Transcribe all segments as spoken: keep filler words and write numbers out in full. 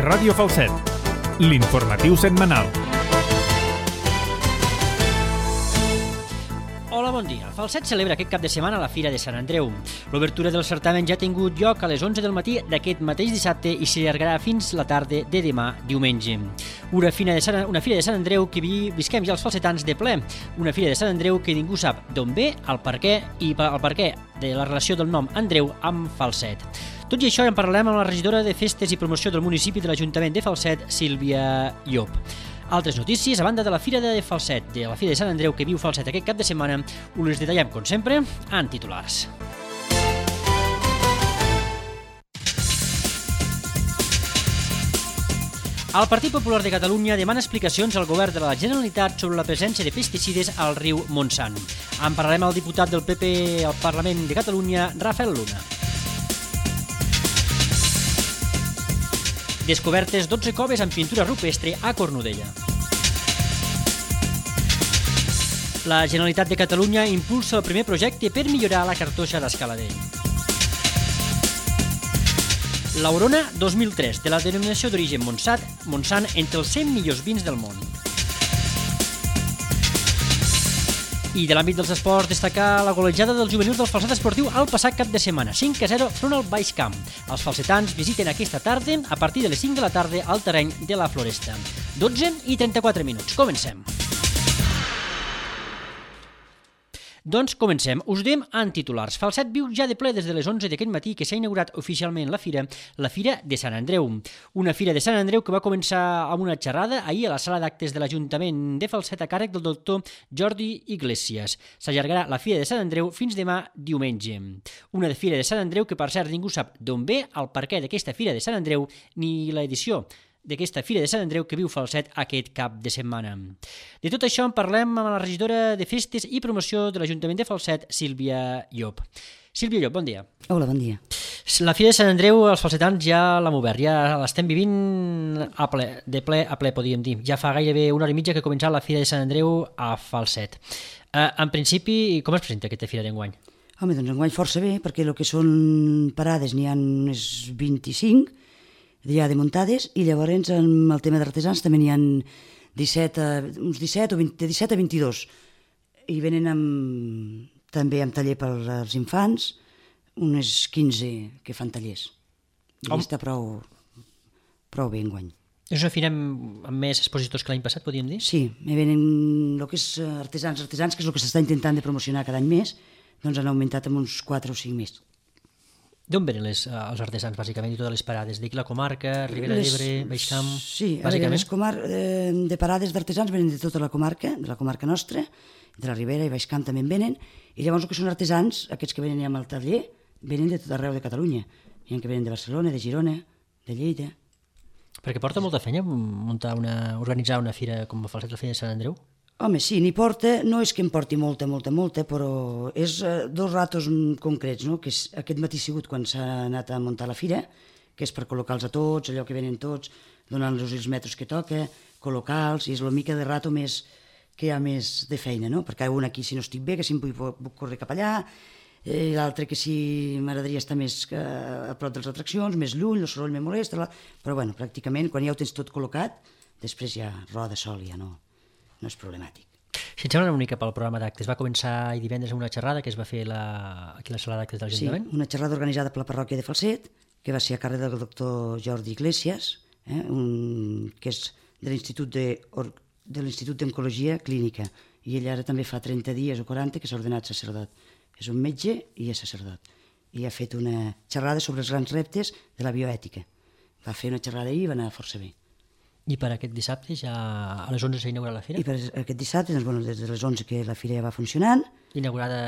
Ràdio Falset, l'informatiu setmanal. Hola, bon dia. Falset celebra aquest cap de setmana la Fira de Sant Andreu. L'obertura del certamen ja ha tingut lloc a les onze del matí d'aquest mateix dissabte i s'allargarà fins la tarda de demà, diumenge. Una fira de Sant, una fira de Sant Andreu que vi, visquem ja els falsetans de ple. Una fira de Sant Andreu que ningú sap d'on ve, el per què i el per què de la relació del nom Andreu amb Falset. Tot i això en parlarem amb la regidora de Festes i Promoció del municipi de l'Ajuntament de Falset, Sílvia Llop. Altres notícies, a banda de la Fira de Falset, de la Fira de Sant Andreu que viu Falset aquest cap de setmana, us les detallem, com sempre, en titulars. El Partit Popular de Catalunya demana explicacions al govern de la Generalitat sobre la presència de pesticides al riu Montsant. En parlarem al diputat del P P al Parlament de Catalunya, Rafael Luna. Descobertes dotze coves amb pintura rupestre a Cornudella. La Generalitat de Catalunya impulsa el primer projecte per millorar la cartoixa d'Escaladell. L'Aurona dos mil tres, de la denominació d'origen Montsant, Montsant entre els cent millors vins del món. I de l'àmbit dels esports, destacar la golejada dels juvenils del Falset Esportiu al passat cap de setmana, cinc a zero front al Baix Camp. Els falsetans visiten aquesta tarda a partir de les cinc de la tarda al terreny de la Floresta. dotze i trenta-quatre minuts. Comencem. Doncs comencem. Us diem en titulars. Falset viu ja de ple des de les onze d'aquest matí que s'ha inaugurat oficialment la fira, la Fira de Sant Andreu. Una Fira de Sant Andreu que va començar amb una xerrada ahir a la sala d'actes de l'Ajuntament de Falset a càrrec del doctor Jordi Iglesias. S'allargarà la Fira de Sant Andreu fins demà diumenge. Una Fira de Sant Andreu que, per cert, ningú sap d'on ve, el perquè d'aquesta Fira de Sant Andreu ni l'edició d'aquesta Fira de Sant Andreu que viu Falset aquest cap de setmana. De tot això en parlem amb la regidora de Festes i Promoció de l'Ajuntament de Falset, Sílvia Llop. Sílvia Llop, bon dia. Hola, bon dia. La Fira de Sant Andreu, els falsetans ja l'hem obert, ja l'estem vivint a ple, de ple a ple, podríem dir. Ja fa gairebé una hora i mitja que ha començat la Fira de Sant Andreu a Falset. Eh, en principi, com es presenta aquesta Fira d'enguany? Home, doncs enguany força bé, perquè el que són parades n'hi ha unes vint-i-cinc, ja de muntades, i llavors amb el tema d'artesans també n'hi ha disset, uns disset o vint, de disset a vint-i-dos, i venen amb, també amb taller per als infants, unes quinze que fan tallers. I oh. Està prou, prou bé enguany. És una fira amb, amb més expositors que l'any passat, podríem dir? Sí, me venen el que és artesans, artesans, que és el que s'està intentant de promocionar cada any més, doncs han augmentat amb uns quatre o cinc més. D'on venen les, els artesans, bàsicament, i totes les parades? D'aquí la comarca, Ribera d'Ebre, Baix Camp? Sí, bàsicament. Les comar eh, de parades d'artesans venen de tota la comarca, de la comarca nostra, de la Ribera i Baix Camp també en venen, i llavors el que són artesans, aquests que venen amb el taller, venen de tot arreu de Catalunya. Hi ha que venen de Barcelona, de Girona, de Lleida. Perquè porta molta feina muntar una, organitzar una fira com a Falset, la Fira de Sant Andreu? Home, sí, n'hi porta, no és que em porti molta, molta, molta, però és eh, dos ratos concrets, no? Que és, aquest matí ha sigut quan s'ha anat a muntar la fira, que és per col·locar-los a tots, allò que venen tots, donant-los els metres que toca, col·locar-los, i és la mica de rato més que hi ha més de feina, no? Perquè hi ha un aquí si no estic bé, que si em vull, puc córrer cap allà, eh, l'altre que si m'agradaria estar més a prop de les atraccions, més lluny, el soroll me molesta, però bueno, pràcticament quan ja ho tens tot col·locat, després ja roda sol, ja no... no és problemàtic. Si et sembla una mica pel programa d'actes, va començar ahir divendres amb una xerrada que es va fer la, aquí a la sala d'actes de l'Ajuntament? Sí, una xerrada organitzada per la parròquia de Falset, que va ser a càrrec del doctor Jordi Iglesias, eh, un, que és de l'Institut de, de l'Institut d'Oncologia Clínica, i ell ara també fa trenta dies o quaranta que s'ha ordenat sacerdot. És un metge i és sacerdot. I ha fet una xerrada sobre els grans reptes de la bioètica. Va fer una xerrada ahir i va anar força bé. I per aquest dissabte ja a les onze s'ha inaugurat la fira? I per aquest dissabte, doncs, bueno, des de les onze que la fira ja va funcionant. Inaugurada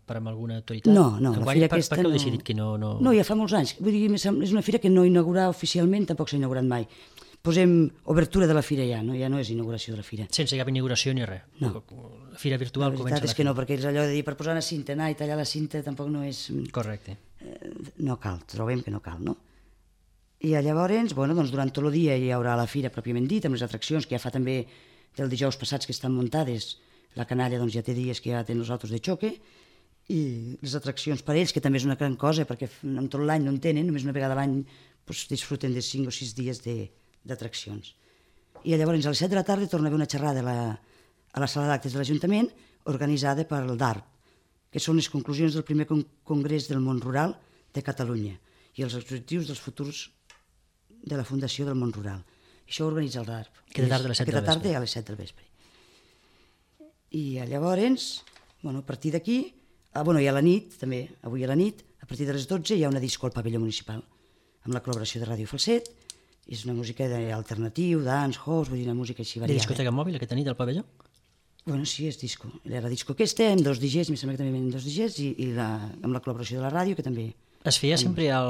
per amb alguna autoritat? No, no, la fira per, aquesta per què heu no... decidit que no, no... No, ja fa molts anys. Vull dir, és una fira que no inaugurar oficialment, tampoc s'ha inaugurat mai. Posem obertura de la fira ja, no? Ja no és inauguració de la fira. Sense cap inauguració ni res? No. La fira virtual comença la fira? La veritat és que no, perquè és allò de dir per posar una cinta, anar i tallar la cinta tampoc no és... Correcte. Eh, no cal, trobem que no cal, no? I llavors, bueno, doncs durant tot el dia hi haurà la fira pròpiament dit, amb les atraccions que ja fa també del dijous passats que estan muntades. La canalla doncs, ja té dies que ja tenen els autos de xoque, i les atraccions per ells, que també és una gran cosa, perquè en tot l'any no en tenen, només una vegada a l'any doncs, disfruten de cinc o sis dies de, d'atraccions. I llavors a les set de la tarda torna a haver una xerrada a la, a la sala d'actes de l'Ajuntament organitzada per el D A R P, que són les conclusions del primer con Congrés del Món Rural de Catalunya i els objectius dels futurs de la Fundació del Món Rural. Això ho organitza el D A R P. Aquesta tarda a les set del vespre. Aquesta tarda a les set del vespre. I llavors, bueno, a partir d'aquí, ah, bueno, i a la nit, també, avui a la nit, a partir de les dotze hi ha una disco al pavelló municipal, amb la col·laboració de Ràdio Falset. És una música alternatiu, dance, house, vull dir, una música així variada. De discoteca mòbil aquesta nit al pavelló? Bueno, sí, és disco. Era disco aquesta, amb dos D Js, em sembla que també venen dos D Js, i, i la, amb la col·laboració de la ràdio, que també... Es feia sempre el,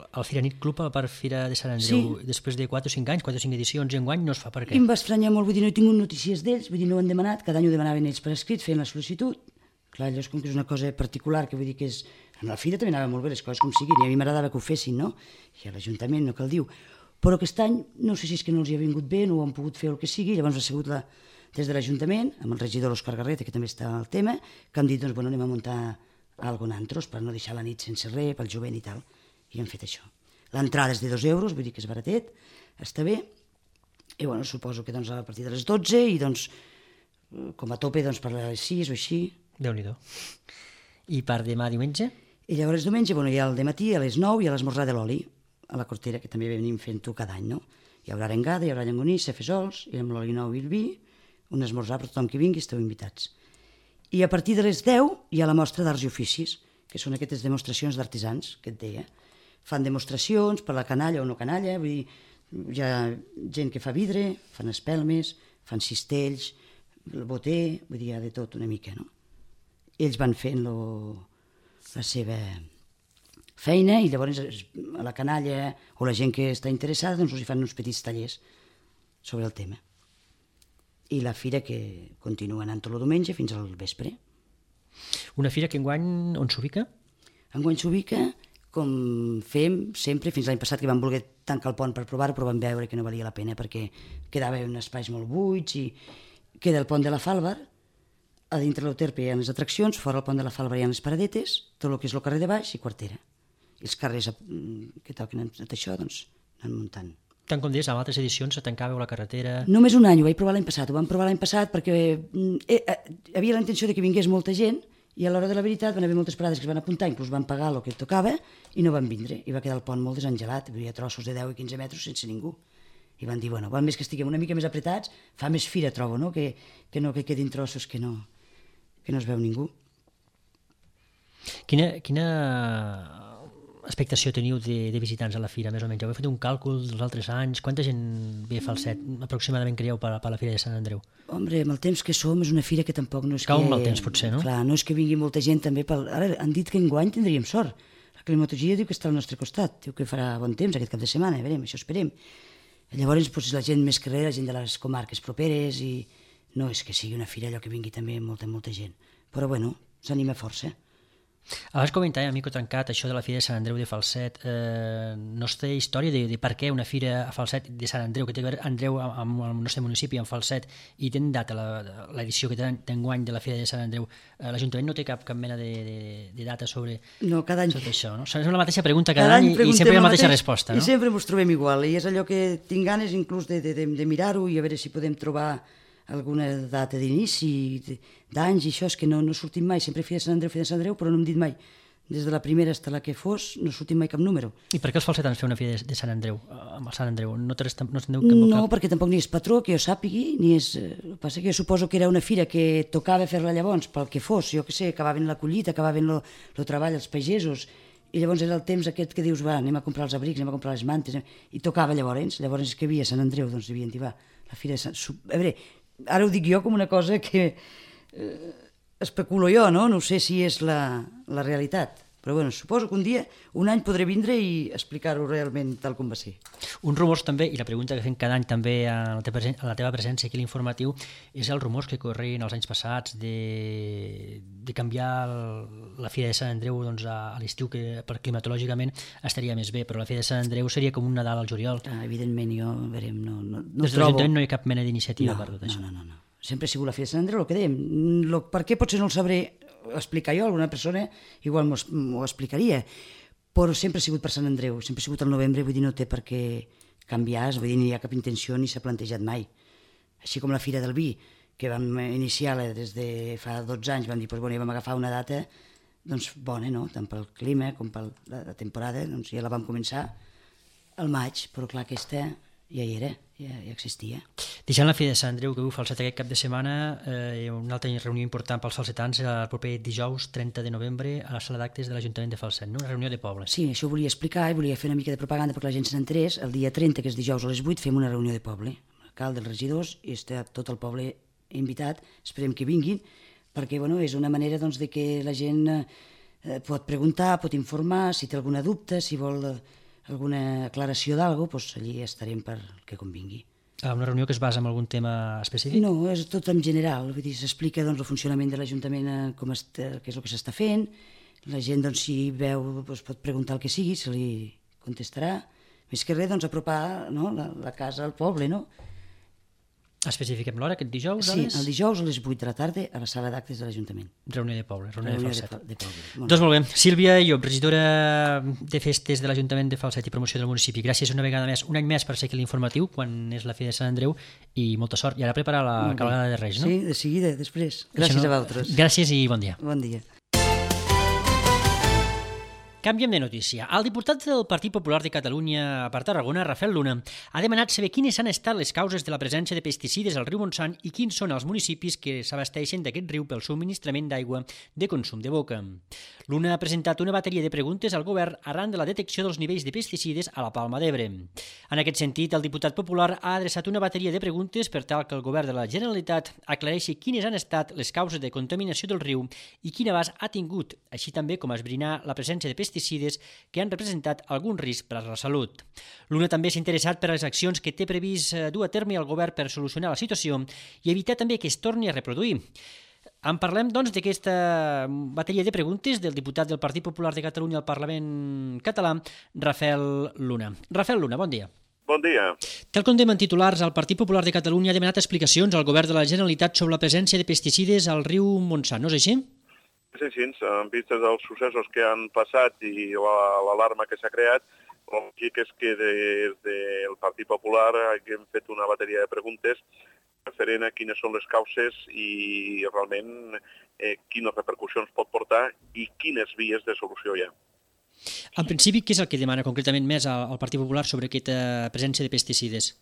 el Firanit Club per Fira de Sant Andreu, Sí. després de quatre o cinc anys, quatre o cinc edicions, i enguany no es fa per I què? em va estranyar molt, vull dir, no he tingut notícies d'ells, vull dir, no ho han demanat, cada any ho demanaven ells per escrit, feien la sol·licitud. Clar, allò és com que és una cosa particular, que vull dir que és... En la fira també anava molt bé les coses com siguin, i a mi m'agradava que ho fessin, no? I a l'Ajuntament, no cal dir. Però aquest any, no sé si és que no els hi ha vingut bé, no ho han pogut fer el que sigui, llavors ha sigut la, des de l'Ajuntament, amb el regidor l'Òscar Garreta, que també està al tema, que han dit, doncs, bueno, anem a muntar algo nantros per no deixar la nit sense res, pel jovent i tal, i han fet això. L'entrada és de dos euros, vull dir que és baratet, està bé, i bueno, suposo que doncs, a partir de les dotze, i doncs, com a tope, doncs, per les sis o així. Déu-n'hi-do. I per demà diumenge? I llavors diumenge, bueno, hi ha el dematí a les nou i a l'esmorzar de l'oli, a la Cortera, que també venim fent-ho cada any, no? Hi haurà arengada, hi haurà llangonissa, fesols, i amb l'oli nou i el vi, un esmorzar per tothom que vingui, esteu invitats. I a partir de les deu hi ha la mostra d'arts i oficis, que són aquestes demostracions d'artesans, que et deia. Fan demostracions per la canalla o no canalla, vull dir, hi ha gent que fa vidre, fan espelmes, fan cistells, el boter, vull dir, hi ha de tot una mica, no? Ells van fent lo, la seva feina i llavors a la canalla o la gent que està interessada doncs els hi fan uns petits tallers sobre el tema. I la fira que continua anant tot el diumenge fins al vespre. Una fira que enguany on s'ubica? Enguany s'ubica com fem sempre, fins l'any passat que vam voler tancar el pont per provar-ho, però vam veure que no valia la pena perquè quedava en espais molt buits i queda el pont de la Fàlvar, a dintre l'Euterpe hi ha les atraccions, fora el pont de la Fàlvar hi ha les paradetes, tot el que és el carrer de baix i Quartera. I els carrers que toquen tot això, doncs, anen muntant. Tant com deies, en altres edicions se tancava la carretera... Només un any, ho vaig provar l'any passat. Ho vam provar l'any passat perquè eh, eh, havia la intenció de que vingués molta gent i a l'hora de la veritat van haver moltes parades que es van apuntar, inclús van pagar el que tocava i no van vindre. I va quedar el pont molt desengelat, hi havia trossos de deu i quinze metres sense ningú. I van dir, bueno, val més que estiguem una mica més apretats, fa més fira, trobo, no? Que, que no que quedin trossos que no, que no es veu ningú. Quina, quina expectació teniu de, de visitants a la fira, més o menys? Heu fet un càlcul dels altres anys? Quanta gent ve a Falset, aproximadament, creieu, per, per la fira de Sant Andreu? Hombre, amb el temps que som, és una fira que tampoc no és Cau que... amb el temps, potser, no? Clar, no és que vingui molta gent també pel... Ara han dit que enguany tindríem sort. La climatologia diu que està al nostre costat, diu que farà bon temps aquest cap de setmana, a veurem, això esperem. Llavors, doncs, la gent més carrera, la gent de les comarques properes, i no és que sigui una fira allò que vingui també molta, molta gent. Però, bueno, s'anima força. Abans comentava, amico Trencat, això de la fira de Sant Andreu de Falset. Eh, no es té història de, de per què una fira a Falset de Sant Andreu, que té a veure Andreu amb el nostre municipi, amb Falset, i tenen data l'edició que tenen d'enguany de la fira de Sant Andreu. Eh, L'Ajuntament no té cap, cap mena de, de, de data sobre, no, cada any... sobre això, no? És la mateixa pregunta cada, cada any i sempre hi ha la mateixa mateix, resposta, no? I sempre ens trobem igual, i és allò que tinc ganes inclús de, de, de, de mirar-ho i a veure si podem trobar alguna data d'inici, d'anys i això, és que no, no sortim mai, sempre fira de Sant Andreu, fira de Sant Andreu, però no hem dit mai, des de la primera fins a la que fos, no sortim mai cap número. I per què els falsetans feu una fira de, de Sant Andreu, amb el Sant Andreu? No, no, no, no perquè tampoc ni és patró, que jo sàpigui, ni és... El que passa que jo suposo que era una fira que tocava fer-la llavors, pel que fos, jo què sé, acabaven la collita, acabaven el treball, els pagesos, i llavors era el temps aquest que dius, va, anem a comprar els abrics, anem a comprar les mantes, i tocava llavors, llavors és que havia Sant Andreu, doncs devien dir, va, la fira de Sant... A veure, ara ho dic jo com una cosa que eh, especulo jo, no? No sé si és la, la realitat. Però bueno, suposo que un dia, un any podré vindre i explicar-ho realment tal com va ser. Un rumors també, i la pregunta que fem cada any també a la teva, a la teva presència aquí a l'informatiu, és els rumors que corrien els anys passats de, de canviar el, la fira de Sant Andreu doncs, a, a l'estiu, que per climatològicament estaria més bé, però la fira de Sant Andreu seria com un Nadal al juliol. Ah, evidentment, jo, a veure, no, no, no Des de l'Ajuntament no hi ha cap mena d'iniciativa no, per tot això. No, no, no, no. Sempre ha sigut la fira de Sant Andreu, el que dèiem. Lo, per què potser no el sabré explicar jo, alguna persona igual m'ho explicaria, però sempre ha sigut per Sant Andreu, sempre ha sigut al novembre, vull dir, no té per què canviar, vull dir, no hi ha cap intenció ni s'ha plantejat mai. Així com la Fira del Vi, que vam iniciar-la des de fa dotze anys, vam dir, doncs, bueno, ja vam agafar una data doncs, bona, no? Tant pel clima com per la temporada, doncs ja la vam començar al maig, però clar, aquesta ja hi era, ja, ja existia. Deixant la Fira de Sant Andreu, que heu falset aquest cap de setmana, eh, una altra reunió important pels falsetans el proper dijous trenta de novembre a la sala d'actes de l'Ajuntament de Falset, no? Una reunió de poble. Sí, això ho volia explicar i volia fer una mica de propaganda perquè la gent se n'entrés. El dia trenta, que és dijous a les vuit, fem una reunió de poble. L'alcalde, els regidors, i està tot el poble invitat, esperem que vinguin, perquè bueno, és una manera doncs, de que la gent eh, pot preguntar, pot informar, si té alguna dubte, si vol eh, alguna aclaració d'alguna cosa, doncs allí estarem per que convingui. Ah, una reunió que es basa en algun tema específic? No, és tot en general, vull dir, s'explica doncs, el funcionament de l'Ajuntament, eh, com està, què és el que s'està fent, la gent doncs, si veu doncs, pot preguntar el que sigui, se li contestarà, més que res doncs, apropar no, la, la casa al poble, no? Especifiquem l'hora, aquest dijous? Sí, les... el dijous a les vuit de la tarda a la sala d'actes de l'Ajuntament. Reunió de poble, reunió, reunió de Falset. De, de poble. Molt Doncs molt bé. Sílvia Llop, regidora de Festes de l'Ajuntament de Falset i Promoció del municipi. Gràcies una vegada més, un any més per ser aquí l'informatiu, quan és la Fira de Sant Andreu, i molta sort. I ara preparar la cabalgada de Reis, no? Sí, de seguida, després. Gràcies no... a vosaltres. Gràcies i bon dia. Bon dia. Canviem de notícia. El diputat del Partit Popular de Catalunya per Tarragona, Rafael Luna, ha demanat saber quines han estat les causes de la presència de pesticides al riu Montsant i quins són els municipis que s'abasteixen d'aquest riu pel subministrament d'aigua de consum de boca. Luna ha presentat una bateria de preguntes al govern arran de la detecció dels nivells de pesticides a la Palma d'Ebre. En aquest sentit, el diputat popular ha adreçat una bateria de preguntes per tal que el govern de la Generalitat aclareixi quines han estat les causes de contaminació del riu i quin abast ha tingut, així també com esbrinar la presència de pesticides pesticides que han representat algun risc per a la salut. L'Una també s'ha interessat per a les accions que té previst dur a terme el govern per solucionar la situació i evitar també que es torni a reproduir. En parlem, doncs, d'aquesta bateria de preguntes del diputat del Partit Popular de Catalunya al Parlament català, Rafael Luna. Rafael Luna, bon dia. Bon dia. Tal com dèiem en titulars, el Partit Popular de Catalunya ha demanat explicacions al govern de la Generalitat sobre la presència de pesticides al riu Montsant, no és així? Sí, sí, en vistes dels successos que han passat i l'alarma que s'ha creat, el lògic és que des del Partit Popular hem fet una bateria de preguntes referent a quines són les causes i realment eh, quines repercussions pot portar i quines vies de solució hi ha. En principi, què és el que demana concretament més al Partit Popular sobre aquesta presència de pesticides?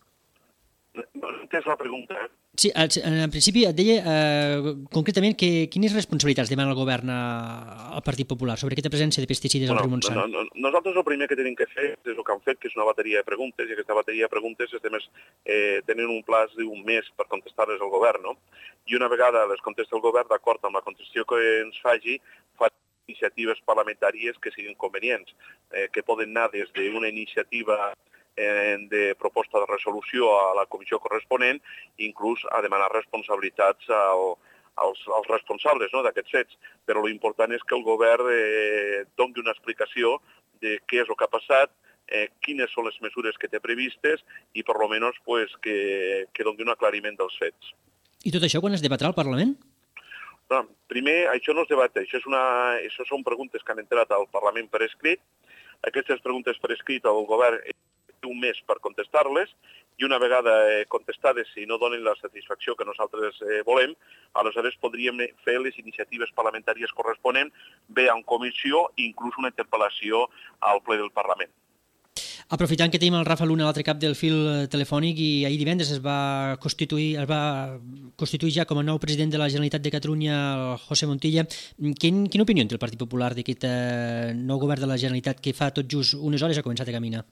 No he entès la pregunta, eh? Sí, en principi et deia eh, concretament que, quines responsabilitats demana el govern al Partit Popular sobre aquesta presència de pesticides bueno, al riu Montsant. No, no, nosaltres el primer que tenim que fer és el que han fet, que és una bateria de preguntes, i aquesta bateria de preguntes estem eh, tenen un plaç d'un mes per contestar-les al govern, no? I una vegada les contesta el govern, d'acord amb la contestació que ens faci, fa iniciatives parlamentàries que siguin convenients, eh, que poden anar des d'una iniciativa de proposta de resolució a la comissió corresponent, inclús a demanar responsabilitats al, als, als responsables no, d'aquests fets. Però l'important és que el govern eh, doni una explicació de què és el que ha passat, eh, quines són les mesures que té previstes i per almenys pues, que, que doni un aclariment dels fets. I tot això quan es debatrà al Parlament? No, primer, això no es debat, això, és una, això són preguntes que han entrat al Parlament per escrit. Aquestes preguntes per escrit el govern un mes per contestar-les i una vegada eh, contestades, si no donen la satisfacció que nosaltres eh, volem, aleshores podríem fer les iniciatives parlamentàries corresponents, bé en comissió i inclús una interpel·lació al ple del Parlament. Aprofitant que tenim el Rafa Luna a l'altre cap del fil telefònic i ahir divendres es va constituir, es va constituir ja com a nou president de la Generalitat de Catalunya, el José Montilla, quin, quina opinió té el Partit Popular d'aquest eh, nou govern de la Generalitat que fa tot just unes hores ha començat a caminar?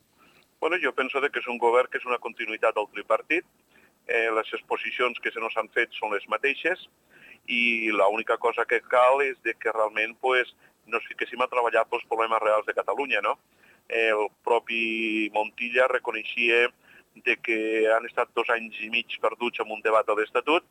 Bueno, jo penso que és un govern que és una continuïtat del tripartit, eh, les exposicions que se nos han fet són les mateixes i l'única cosa que cal és de que realment pues, nos fiquéssim a treballar pels problemes reals de Catalunya, no? El propi Montilla reconeixia de que han estat dos anys i mig perduts en un debat de l'Estatut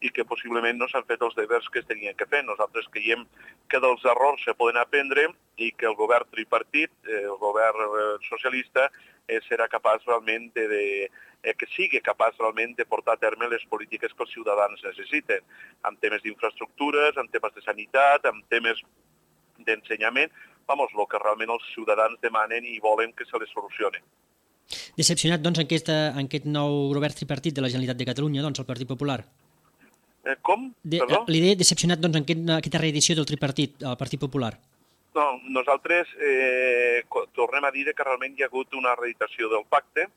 i que possiblement no s'han fet els deures que es tenien que fer. Nosaltres creiem que dels errors se poden aprendre i que el govern tripartit, el govern socialista, eh, serà capaç realment de, de eh, que sigui capaç realment de portar a terme les polítiques que els ciutadans necessiten, en temes d'infraestructures, en temes de sanitat, en temes d'ensenyament, vamos, el que realment els ciutadans demanen i volen que se les solucione. Decepcionat, doncs, en aquest, en aquest nou govern tripartit de la Generalitat de Catalunya, doncs, el Partit Popular? Eh, com? De, Perdó? L'idea decepcionat, doncs, en aquest, aquesta reedició del tripartit, el Partit Popular? No, nosaltres eh, tornem a dir que realment hi ha hagut una reeditació del pacte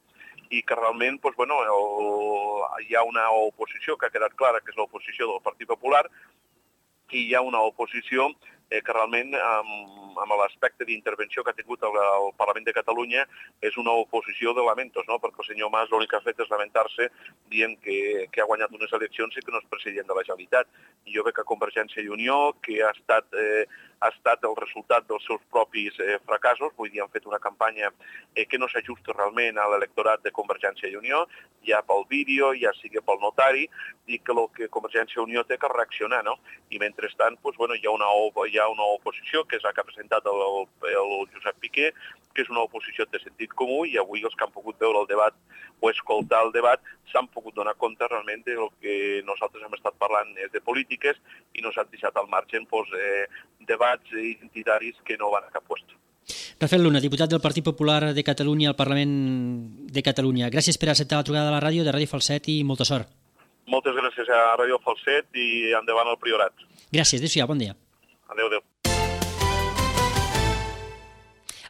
i que realment doncs, bueno, el, hi ha una oposició que ha quedat clara, que és l'oposició del Partit Popular, i hi ha una oposició eh, que realment, amb, amb l'aspecte d'intervenció que ha tingut el, el Parlament de Catalunya, és una oposició de lamentos, no? Perquè el senyor Mas l'únic que ha fet és lamentar-se dient que, que ha guanyat unes eleccions i que no és president de la Generalitat. I jo veig que Convergència i Unió, que ha estat, eh, ha estat el resultat dels seus propis eh, fracassos, vull dir, han fet una campanya eh, que no s'ajusta realment a l'electorat de Convergència i Unió, ja pel vídeo, ja sigui pel notari, i que el que Convergència i Unió té que reaccionar, no? I mentrestant, doncs, bueno, hi ha una, hi ha una oposició que és la que ha presentat el, el Josep Piqué, que és una oposició de sentit comú, i avui els que han pogut veure el debat o escoltar el debat s'han pogut donar compte realment del que nosaltres hem estat parlant és de polítiques i no s'han deixat al marge doncs, eh, debats identitaris que no van a cap lloc. Rafael Luna, diputat del Partit Popular de Catalunya al Parlament de Catalunya. Gràcies per acceptar la trucada de la ràdio de Ràdio Falset i molta sort. Moltes gràcies a Ràdio Falset i endavant al Priorat. Gràcies, adéu-siau, bon dia. Adéu, adéu.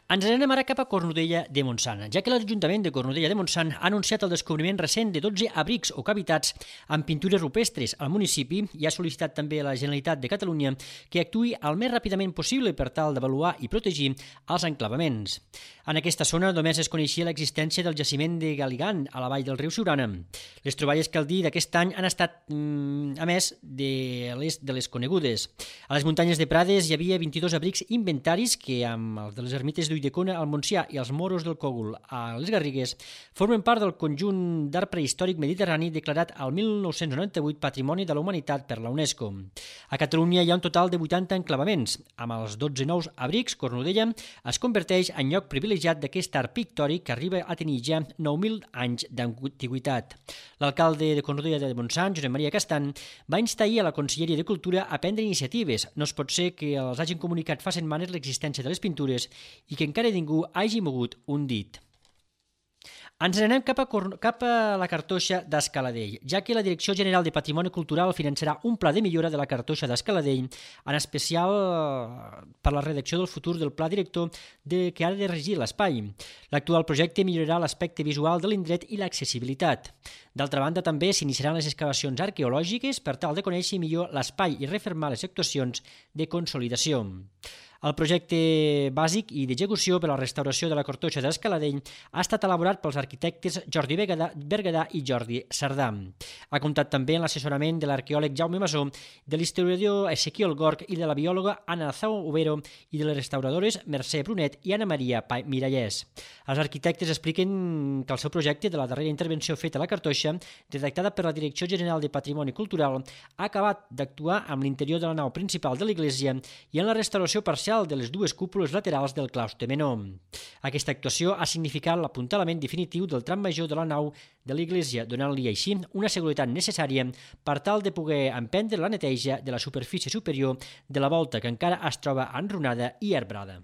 Ens anem ara cap a Cornudella de Montsant, ja que l'Ajuntament de Cornudella de Montsant ha anunciat el descobriment recent de dotze abrics o cavitats amb pintures rupestres al municipi i ha sol·licitat també a la Generalitat de Catalunya que actuï el més ràpidament possible per tal d'avaluar i protegir els enclavaments. En aquesta zona només es coneixia l'existència del jaciment de Galigant a la vall del riu Siurana. Les troballes, cal dir, d'aquest any han estat, mm, a més, de les, de les conegudes. A les muntanyes de Prades hi havia vint-i-dos abrics inventaris que, amb els de les ermites d'Ulldecona al Montsià i els Moros del Cogul a les Garrigues, formen part del conjunt d'art prehistòric mediterrani declarat al mil nou-cents noranta-vuit Patrimoni de la Humanitat per la UNESCO. A Catalunya hi ha un total de vuitanta enclavaments. Amb els dotze nous abrics, Cornudella es converteix en lloc privilegiat d'aquest art pictòric que arriba a tenir ja nou mil anys d'antiguitat. L'alcalde de Cornudella de Montsant, Josep Maria Castan, va instar ahir a la Conselleria de Cultura a prendre iniciatives. No es pot ser que els hagin comunicat fa setmanes l'existència de les pintures i que encara ningú hagi mogut un dit. Ens n'anem cap a, cap a la cartoixa d'Escaladell, ja que la Direcció General de Patrimoni Cultural finançarà un pla de millora de la cartoixa d'Escaladell, en especial per la redacció del futur del pla director de, que ha de regir l'espai. L'actual projecte millorarà l'aspecte visual de l'indret i l'accessibilitat. D'altra banda, també s'iniciaran les excavacions arqueològiques per tal de conèixer millor l'espai i refermar les actuacions de consolidació. El projecte bàsic i d'execució per a la restauració de la cartoixa d'Escaladell ha estat elaborat pels arquitectes Jordi Berguedà i Jordi Sardà. Ha comptat també amb l'assessorament de l'arqueòleg Jaume Masó, de l'historiador Ezequiel Gorg i de la biòloga Ana Zau Overo i de les restauradores Mercè Brunet i Ana Maria Mirallès. Els arquitectes expliquen que el seu projecte de la darrera intervenció feta a la cartoixa, redactada per la Direcció General de Patrimoni Cultural, ha acabat d'actuar amb l'interior de la nau principal de l'església i en la restauració parcial de les dues cúpules laterals del claustre menor. Aquesta actuació ha significat l'apuntalament definitiu del tram major de la nau de l'església, donant-li així una seguretat necessària per tal de poder emprendre la neteja de la superfície superior de la volta que encara es troba enrunada i arbrada.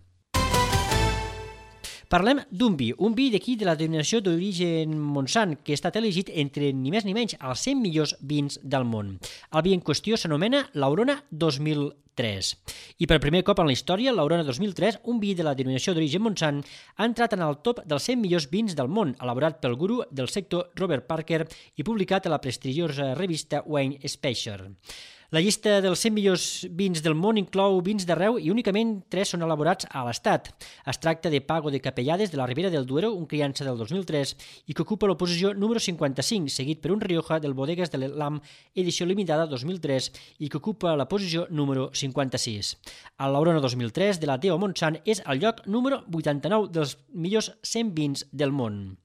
Parlem d'un vi, un vi d'aquí de la denominació d'origen Montsant, que ha estat elegit entre ni més ni menys els cent millors vins del món. El vi en qüestió s'anomena l'Aurona dos mil tres. I per primer cop en la història, l'Aurona dos mil tres, un vi de la denominació d'origen Montsant, ha entrat en el top dels cent millors vins del món, elaborat pel guru del sector Robert Parker i publicat a la prestigiosa revista Wine Special. La llista dels cent millors vins del món inclou vins d'arreu i únicament tres són elaborats a l'Estat. Es tracta de Pago de Capellades de la Ribera del Duero, un criança del dos mil tres, i que ocupa la posició número cinquanta-cinc, seguit per un Rioja del Bodegas de l'Am, edició limitada dos mil tres, i que ocupa la posició número cinquanta-sis. El l'Aurona dos mil tres de la Teo Montsant és el lloc número vuitanta-nou dels millors cent vins del món.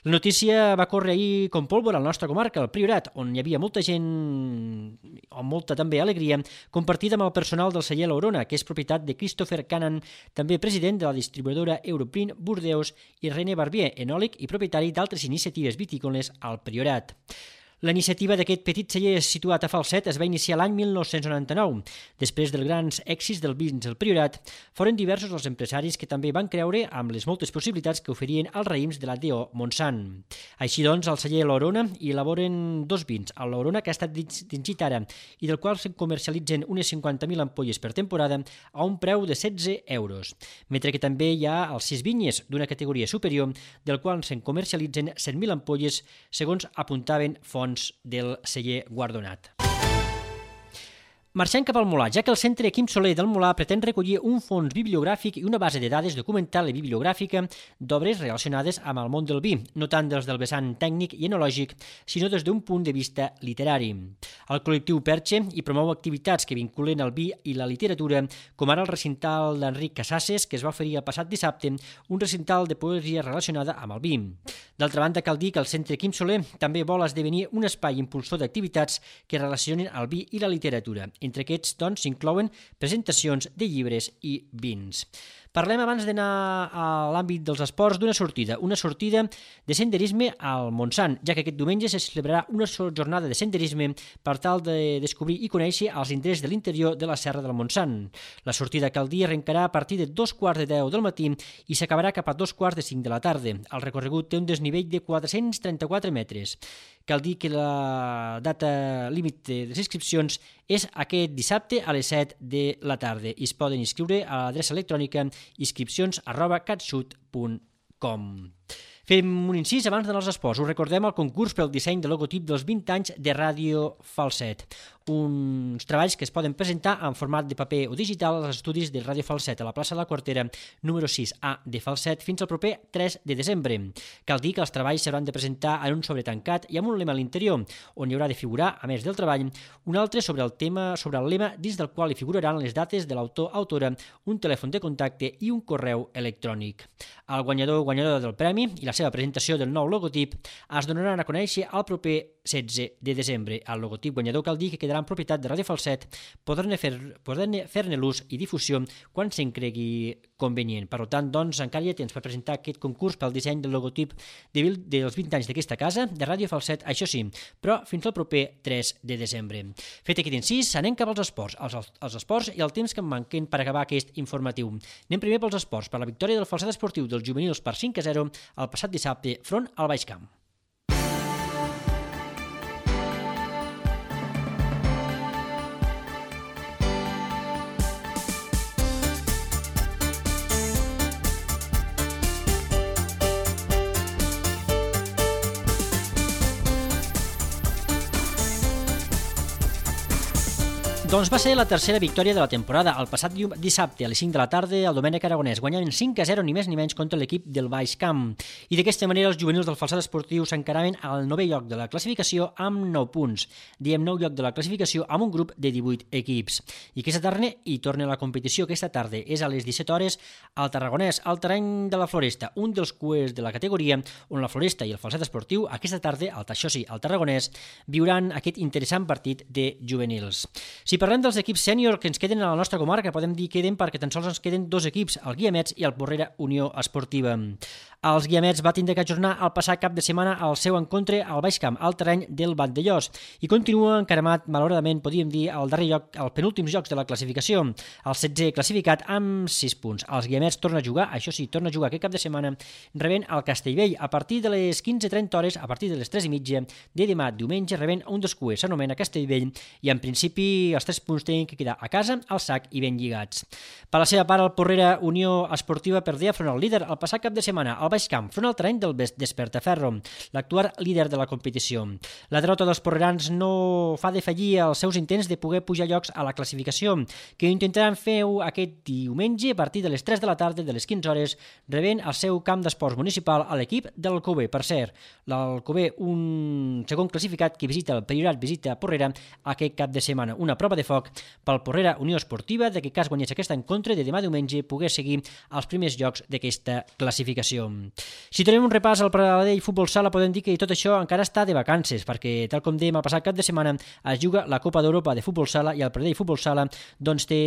La notícia va córrer ahir com pólvora a la nostra comarca, al Priorat, on hi havia molta gent, o molta també alegria, compartida amb el personal del celler l'Aurona, que és propietat de Christopher Cannan, també president de la distribuïdora Europrint Burdeos, i René Barbier, enòleg i propietari d'altres iniciatives vitícoles al Priorat. La iniciativa d'aquest petit celler situat a Falset es va iniciar l'any mil nou-cents noranta-nou. Després dels grans èxits del vins del Priorat, foren diversos els empresaris que també van creure amb les moltes possibilitats que oferien els raïms de la D O Montsant. Així doncs, al celler L'Orona hi elaboren dos vins, el L'Orona, que ha estat distingit ara i del qual se'n comercialitzen unes cinquanta mil ampolles per temporada a un preu de setze euros, mentre que també hi ha els sis vinyes d'una categoria superior, del qual se'n comercialitzen cent mil ampolles, segons apuntaven fonts del celler guardonat. Marxem cap al Molar, ja que el Centre Quim Soler del Molar pretén recollir un fons bibliogràfic i una base de dades documental i bibliogràfica d'obres relacionades amb el món del vi, no tant des del vessant tècnic i enològic, sinó des d'un punt de vista literari. El col·lectiu Perche hi promou activitats que vinculen el vi i la literatura, com ara el recital d'Enric Casasses, que es va oferir el passat dissabte, un recital de poesia relacionada amb el vi. D'altra banda, cal dir que el Centre Quim Soler també vol esdevenir un espai impulsor d'activitats que relacionen el vi i la literatura. Entre aquests, doncs, s'inclouen presentacions de llibres i vins. Parlem, abans d'anar a l'àmbit dels esports, d'una sortida, una sortida de senderisme al Montsant, ja que aquest diumenge se celebrarà una jornada de senderisme per tal de descobrir i conèixer els indrets de l'interior de la Serra del Montsant. La sortida, cal dir, arrencarà a partir de dos quarts de deu del matí i s'acabarà cap a dos quarts de cinc de la tarda. El recorregut té un desnivell de quatre-cents trenta-quatre metres. Cal dir que la data límit de les inscripcions és aquest dissabte a les set de la tarda i es poden inscriure a l'adreça electrònica inscripcions arroba catxut punt com. Fem un incís abans d'anar als esports. Us recordem el concurs pel disseny de logotip dels vint anys de Ràdio Falset. Uns treballs que es poden presentar en format de paper o digital als estudis de Ràdio Falset a la plaça de la Quartera número sis A de Falset fins al proper tres de desembre. Cal dir que els treballs s'hauran de presentar en un sobre tancat i amb un lema a l'interior, on hi haurà de figurar, a més del treball, un altre sobre el tema sobre el lema dins del qual hi figuraran les dates de l'autor-autora, un telèfon de contacte i un correu electrònic. El guanyador o guanyadora del premi i la seva presentació del nou logotip es donaran a conèixer el proper setze de desembre. El logotip guanyador, cal dir que quedarà en propietat de Ràdio Falset, podran fer-ne fer l'ús i difusió quan se'n cregui convenient. Per tant, doncs, encara hi ha temps per presentar aquest concurs pel disseny del logotip de, dels vint anys d'aquesta casa, de Ràdio Falset, això sí, però fins al proper tres de desembre. Fet aquest incís, anem cap als esports, els, els esports i el temps que em manquen per acabar aquest informatiu. Anem primer pels esports, per la victòria del Falset Esportiu dels juvenils per cinc a zero el passat dissabte front al Baix Camp. Doncs va ser la tercera victòria de la temporada. El passat dissabte, a les cinc de la tarda, el Domènec Aragonès guanyaven cinc a zero, ni més ni menys, contra l'equip del Baix Camp. I d'aquesta manera els juvenils del Falset Esportiu s'encaraven al novè lloc de la classificació amb nou punts. Diem nou lloc de la classificació amb un grup de divuit equips. I aquesta tarda hi torna la competició. Aquesta tarda és a les disset hores al Tarragonès, al terreny de la Floresta, un dels cuers de la categoria on la Floresta i el Falset Esportiu aquesta tarda, al Taixosi, al Tarragonès, viuran aquest interessant partit de juvenils. Si parlem dels equips sènior que ens queden a la nostra comarca, podem dir que queden perquè tan sols ens queden dos equips, el Guiamets i el Porrera Unió Esportiva. Els Guiamets va tindre que ajornar el passat cap de setmana el seu encontre al Baix Camp, al terreny del Vandellós, i continua encaramat, malauradament, podríem dir, al darrer lloc, als penúltims jocs de la classificació, el setzè classificat amb sis punts. Els Guiamets torna a jugar, això sí, torna a jugar aquest cap de setmana, rebent el Castellvell a partir de les quinze trenta hores, a partir de les tres i mitja de demà diumenge, rebent un dels cuers, s'anomena Castellvell, i en principi els tres punts tenen que quedar a casa, al sac i ben lligats. Per la seva part, el Porrera Unió Esportiva perdia front al líder el passat cap de setmana, al Baix Camp, front al terreny del Despertaferro, l'actual líder de la competició. La derrota dels porrerans no fa defallir els seus intents de poder pujar llocs a la classificació, que intentaran fer aquest diumenge a partir de les tres de la tarda, de les quinze hores, rebent el seu camp d'esports municipal a l'equip de l'Alcover. Per cert, l'Alcover, un segon classificat que visita el Priorat, visita Porrera aquest cap de setmana. Una prova de foc pel Porrera Unió Esportiva, de que cas guanyés aquest encontre de demà diumenge poder seguir els primers llocs d'aquesta classificació. Si tenim un repàs al Pradell Futbol Sala, podem dir que tot això encara està de vacances, perquè, tal com dèiem, el passat cap de setmana es juga la Copa d'Europa de Futbol Sala i el Pradell Futbol Sala doncs, té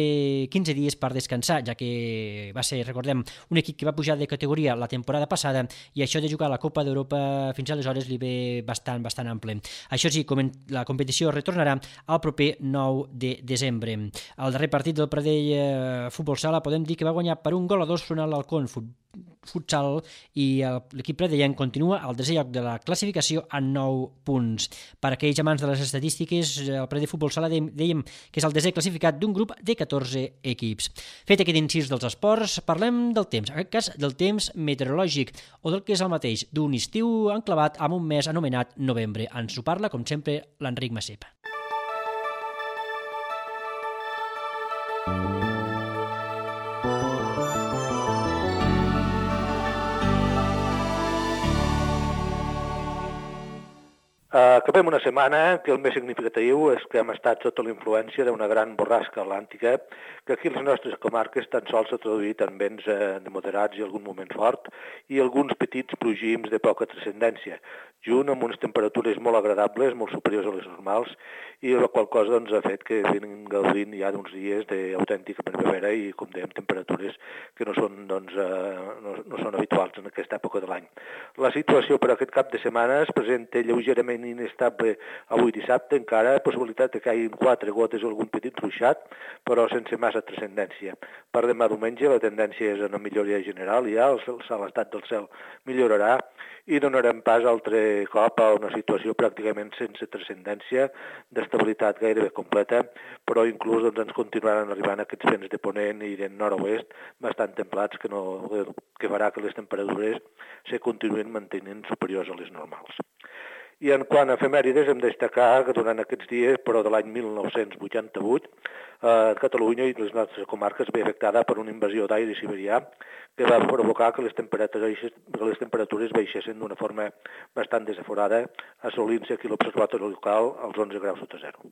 quinze dies per descansar, ja que va ser, recordem, un equip que va pujar de categoria la temporada passada i això de jugar a la Copa d'Europa fins aleshores li ve bastant, bastant ample. Això sí, la competició retornarà el proper nou de desembre. El darrer partit del Pradell Futbol Sala podem dir que va guanyar per un gol a dos front a l'Alcón Futsal i l'equip pradellenc continua al desè lloc de la classificació amb nou punts. Per aquells amants de les estadístiques, el Pradell Futbol Sala dèiem que és el desè classificat d'un grup de catorze equips. Fet aquest incís dels esports, parlem del temps, en aquest cas del temps meteorològic, o del que és el mateix, d'un estiu enclavat amb un mes anomenat novembre. Ens ho parla, com sempre, l'Enric Macep. Acabem una setmana que el més significatiu és que hem estat sota la influència d'una gran borrasca atlàntica que aquí a les nostres comarques tan sols s'ha traduït en vents de moderats i algun moment fort i alguns petits plogims de poca transcendència, junt amb unes temperatures molt agradables, molt superiors a les normals, i la qual cosa doncs, ha fet que vinguin gaudint ja d'uns dies d'autèntica primavera i, com dèiem, temperatures que no són, doncs, eh, no, no són habituals en aquesta època de l'any. La situació per aquest cap de setmana es presenta lleugerament inestable avui dissabte, encara possibilitat que caiguin quatre gotes o algun petit ruixat, però sense massa transcendència. Per demà diumenge la tendència és una milloria general, ja l'estat del cel millorarà i donarem pas altre cop a una situació pràcticament sense transcendència, d'estabilitat gairebé completa, però inclús doncs, ens continuaran arribant aquests vents de ponent i de nord-oest bastant templats que, no, que farà que les temperatures se continuïn mantenint superiors a les normals. I en quant a efemèrides, hem de destacar que durant aquests dies, però de l'any mil nou-cents vuitanta-vuit, eh, Catalunya i les nostres comarques ve afectada per una invasió d'aire siberià que va provocar que les temperatures, que les temperatures baixessin d'una forma bastant desaforada, assolint-se aquí l'observatori local als onze graus sota zero.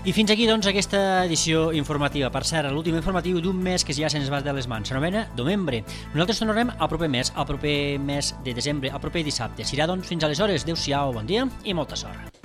I fins aquí, doncs, aquesta edició informativa. Per cert, l'últim informatiu d'un mes que ja se'ns va de les mans. S'anomena Novembre. Nosaltres tornarem al proper mes, al proper mes de desembre, al proper dissabte. Serà, doncs, fins aleshores. Adéu-siau, bon dia i molta sort.